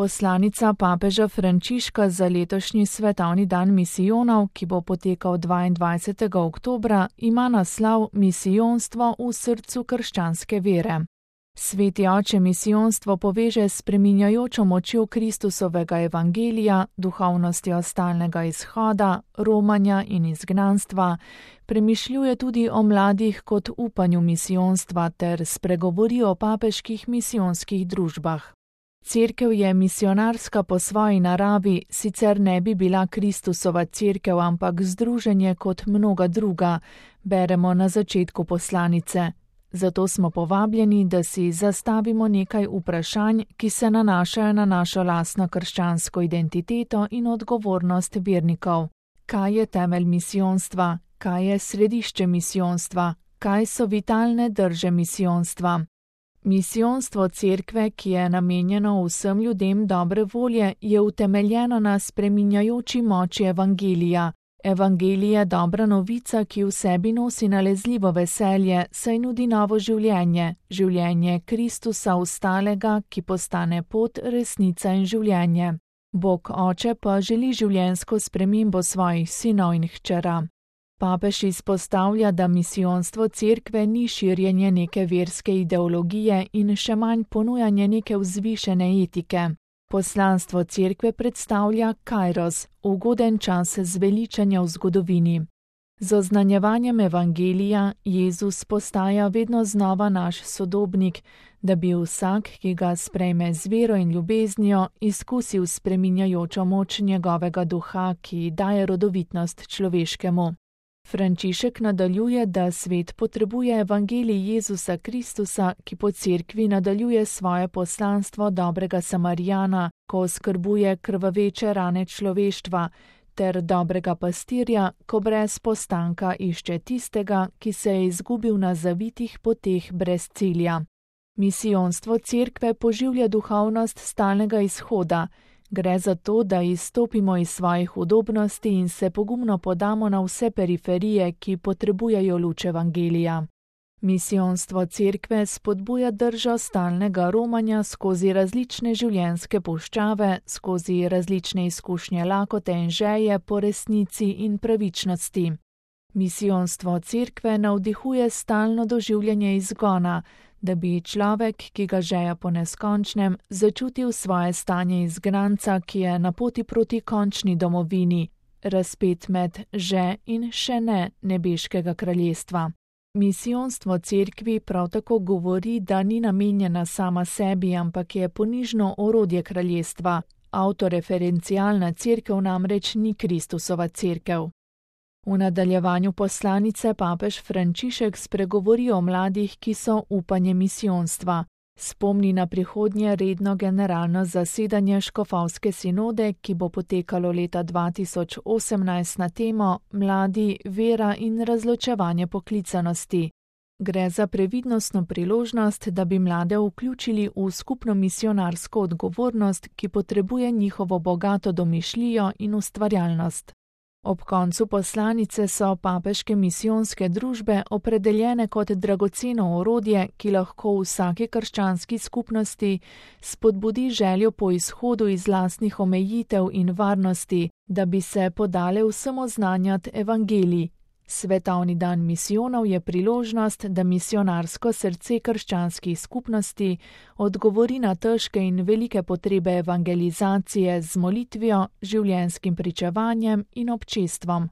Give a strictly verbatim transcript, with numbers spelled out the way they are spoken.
Poslanica papeža Frančiška za letošnji svetovni dan misijonov, ki bo potekal dvaindvajsetega oktobra, ima naslov Misijonstvo v srcu krščanske vere. Sveti oče misijonstvo poveže s spreminjajočo močjo Kristusovega evangelija, duhovnostjo stalnega izhoda, romanja in izgnanstva, premišljuje tudi o mladih kot upanju misijonstva ter spregovori o papeških misijonskih družbah. Cerkev je misionarska po svoji naravi, sicer ne bi bila Kristusova cerkev, ampak združenje kot mnoga druga, beremo na začetku poslanice. Zato smo povabljeni, da si zastavimo nekaj vprašanj, ki se nanašajo na našo lastno krščansko identiteto in odgovornost vernikov. Kaj je temelj misijonstva? Kaj je središče misijonstva? Kaj so vitalne drže misijonstva? Misijonstvo cerkve, ki je namenjeno vsem ljudem dobre volje, je utemeljeno na spreminjajoči moči evangelija. Evangelij je dobra novica, ki v sebi nosi nalezljivo veselje, saj nudi novo življenje, življenje Kristusa ostalega, ki postane pot, resnica in življenje. Bog Oče pa želi življenjsko spremembo svojih sinov in hčera. Papež izpostavlja, da misijonstvo cerkve ni širjenje neke verske ideologije in še manj ponujanje neke vzvišene etike. Poslanstvo cerkve predstavlja kairos, ugoden čas zveličanja v zgodovini. Z oznanjevanjem evangelija Jezus postaja vedno znova naš sodobnik, da bi vsak, ki ga sprejme z vero in ljubeznijo, izkusil spreminjajočo moč njegovega duha, ki daje rodovitnost človeškemu. Frančišek nadaljuje, da svet potrebuje evangelij Jezusa Kristusa, ki po cerkvi nadaljuje svoje poslanstvo dobrega Samarijana, ko oskrbuje krvaveče rane človeštva, ter dobrega pastirja, ko brez postanka išče tistega, ki se je izgubil na zavitih poteh brez cilja. Misijonstvo cerkve poživlja duhovnost stalnega izhoda. Gre za to, da izstopimo iz svojih udobnosti in se pogumno podamo na vse periferije, ki potrebujejo luč evangelija. Misijonstvo cerkve spodbuja držo stalnega romanja skozi različne življenjske puščave, skozi različne izkušnje lakote in želje po resnici in pravičnosti. Misijonstvo cerkve navdihuje stalno doživljanje izgona, da bi človek, ki ga žeja po neskončnem, začutil svoje stanje izgnanca, ki je na poti proti končni domovini, razpet med že in še ne nebeškega kraljestva. Misijonstvo cerkvi prav tako govori, da ni namenjena sama sebi, ampak je ponižno orodje kraljestva. Avtoreferencialna cerkev namreč ni Kristusova cerkev. V nadaljevanju poslanice papež Frančišek spregovori o mladih, ki so upanje misijonstva. Spomni na prihodnje redno generalno zasedanje škofovske sinode, ki bo potekalo leta dva tisoč osemnajst na temo Mladi, vera in razločevanje poklicanosti. Gre za previdnostno priložnost, da bi mlade vključili v skupno misijonarsko odgovornost, ki potrebuje njihovo bogato domišljijo in ustvarjalnost. Ob koncu poslanice so papeške misijonske družbe opredeljene kot dragoceno orodje, ki lahko v vsaki krščanski skupnosti spodbudi željo po izhodu iz lastnih omejitev in varnosti, da bi se podale vsem oznanjati evangelij. Svetovni dan misijonov je priložnost, da misijonarsko srce krščanskih skupnosti odgovori na težke in velike potrebe evangelizacije z molitvijo, življenjskim pričevanjem in občestvom.